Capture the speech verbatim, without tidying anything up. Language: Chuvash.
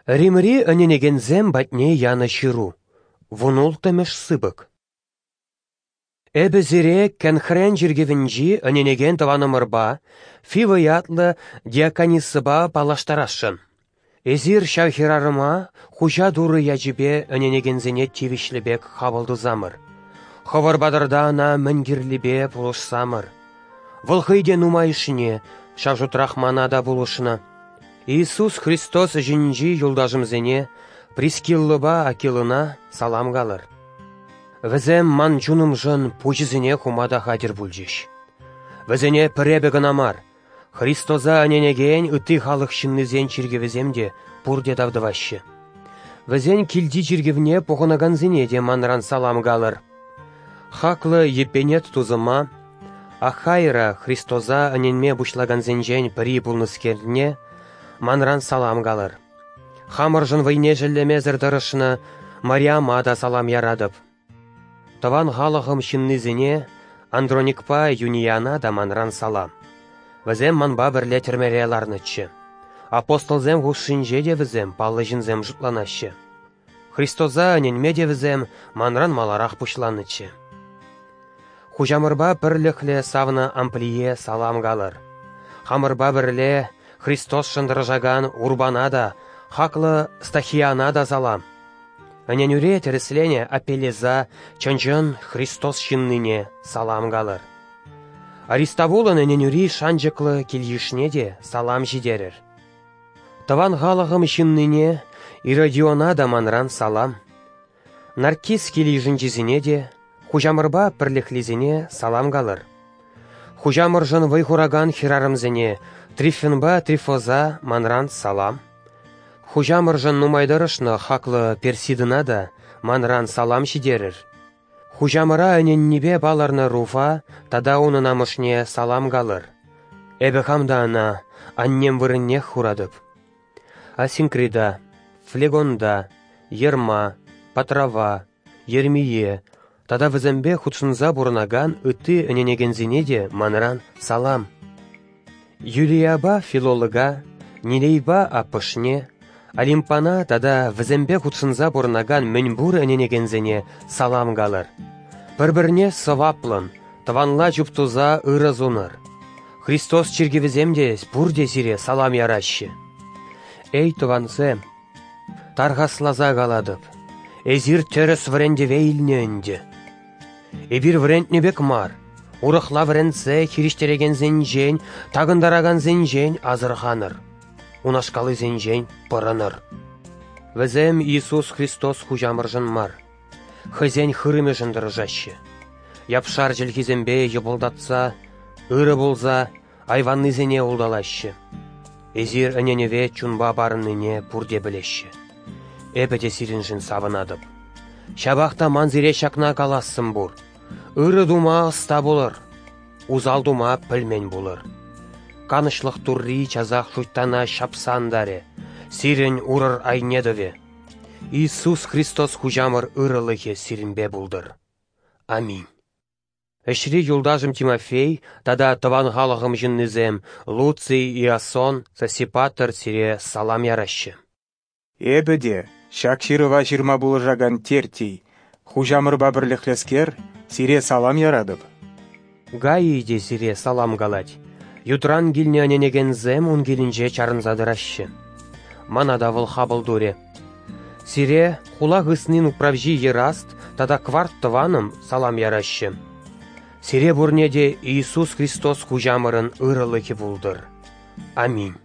Римри ӗненекенсем патне янӑ ҫыру, вунулттӑмӗш сыпӑк. Эпӗ сире Кенхрен чиркӗвӗнчи ӗненекен тӑванӑмӑрпа, Фива ятлӑ диакониссӑпа паллаштарасшӑн. Эсир ҫав хӗрарӑма Хуҫа Турӑ ячӗпе ӗненекенсене тивӗҫлӗ пек хапӑл тусамӑр. Хӑвӑр патӑрта ӑна мӗн кирлипе пулӑшсамӑр. Вӑл хӑй те нумайӑшне, ҫав шутрах мана та пулӑшнӑ. Иисус Христос ӗҫӗнчи юлташӑмсене Прискиллӑпа Акилӑна салам калӑр. Вӗсем ман чунӑмшӑн пуҫӗсене хума та хатӗр пулчӗҫ. Вӗсене пӗр эпӗ кӑна мар, Христоса ӗненекен ытти халӑх ҫыннисен чиркӗвӗсем те пурте тав тӑваҫҫӗ. Вӗсен килти чиркӗвне пухӑнакансене те манран салам калӑр. Хаклӑ Епенет тусӑма, Ахайра Христоса ӗненме пуҫлакансенчен пӗри пулнӑскерне, манран салам калӑр. Хамӑршӑн вӑйне шеллемесӗр тӑрӑшнӑ Мариама та салам яратӑп. Тӑван халӑхӑм ҫыннисене Андроникпа Юнияна та манран салам. Вӗсем манпа пӗрле тӗрмере ларнӑччӗ. Апостолсем хушшинче те вӗсем паллӑ ҫынсем шутланаҫҫӗ. Христоса ӗненме те вӗсем манран маларах пуҫланӑччӗ. Хуҫамӑрпа пӗрлӗхлӗ савнӑ Амплие салам калӑр. Хамӑрпа пӗрле Христосшӑн тӑрӑшакан Урбана та, хаклӑ Стахияна та салам. Ӗненӳре тӗрӗсленӗ Апеллеса чӑн-чӑн Христос ҫыннине салам калӑр. Аристовулӑн ӗненӳри шанчӑклӑ кил-йышне те салам ҫитерӗр. Тӑван халӑхӑм ҫыннине Иродиона та манран салам. Наркис кил-йышӗнчисене те, Хуҫамӑрпа пӗрлӗхлисене салам калӑр. Хуҫамӑршӑн вӑй хуракан хӗрарӑмсене Трифенпа Трифоза манран салам. Хуҫамӑршӑн нумай тӑрӑшнӑ хаклӑ Персидӑна та манран салам ҫитерӗр. Хуҫамӑра ӗненнипе палӑрнӑ Руфа тата унӑн амӑшне салам калӑр. Эпӗ хам та ӑна аннем вырӑннех хуратӑп. Асинкрита, Флегонта, Ерма, Патрава, Ермие тата вӗсемпе хутшӑнса пурӑнакан ытти ӗненекенсене те манран салам. Юлияпа Филолога, Нилейпа аппӑшне, Олимпана тата вӗсемпе хутшӑнса пурӑнакан мӗнпур ӗненекенсене салам калӑр. Пӗр-пӗрне сӑваплӑн, тӑванла чуптуса ырӑ сунӑр. Христос чиркӗвӗсем те пурте сире салам яраҫҫӗ. Эй, тӑвансем, тархасласа калатӑп, эсир тӗрӗс вӗрентӗве илнӗ ӗнтӗ. Эпир вӗрентнӗ пек мар, урӑхла вӗрентсе хирӗҫтерекенсенчен, такӑнтаракансенчен асӑрханӑр, унашкаллисенчен пӑрӑнӑр. Вӗсем Иисус Христос Хуҫамӑршӑн мар, хӑйсен хырӑмӗшӗн тӑрӑшаҫҫӗ. Япшар чӗлхисемпе йӑпӑлтатса, ырӑ пулса айваннисене улталаҫҫӗ. Эсир ӗненӗве чунпа парӑннине пурте пӗлеҫҫӗ. Эпӗ те сирӗншӗн савӑнатӑп. Ҫапах та ман сире ҫакна калассӑм пур. Ырӑ тума ӑста пулӑр, усал тума пӗлмен пулӑр. Канӑҫлӑх Турри часах шуйттана ҫапса антарӗ, сирӗн урӑр айне тӑвӗ. Иисус Христос Хуҫамӑр ырӑлӑхӗ сирӗнпе пултӑр. Аминь. Ӗҫри юлташӑм Тимофей тата тӑван халӑхӑм ҫыннисем Луций, Иасон, Сосипатр сире салам яраҫҫӗ. Эпӗ те, ҫак ҫырӑва ҫырма пулӑшакан Тертий, Хуҫамӑрпа пӗрлӗхлӗскер, сире салам яратӑп. Гаий те сире салам калать. Ютран килнӗ ӗненекенсем ун килӗнче чарӑнса тӑраҫҫӗ. Мана та вӑл хапӑл турӗ. Сире хула хыснин управҫи Ераст тата Кварт тӑванӑм салам яраҫҫӗ. Сире пурне те Иисус Христос Хуҫамӑрӑн ырӑлӑхӗ пултӑр. Аминь.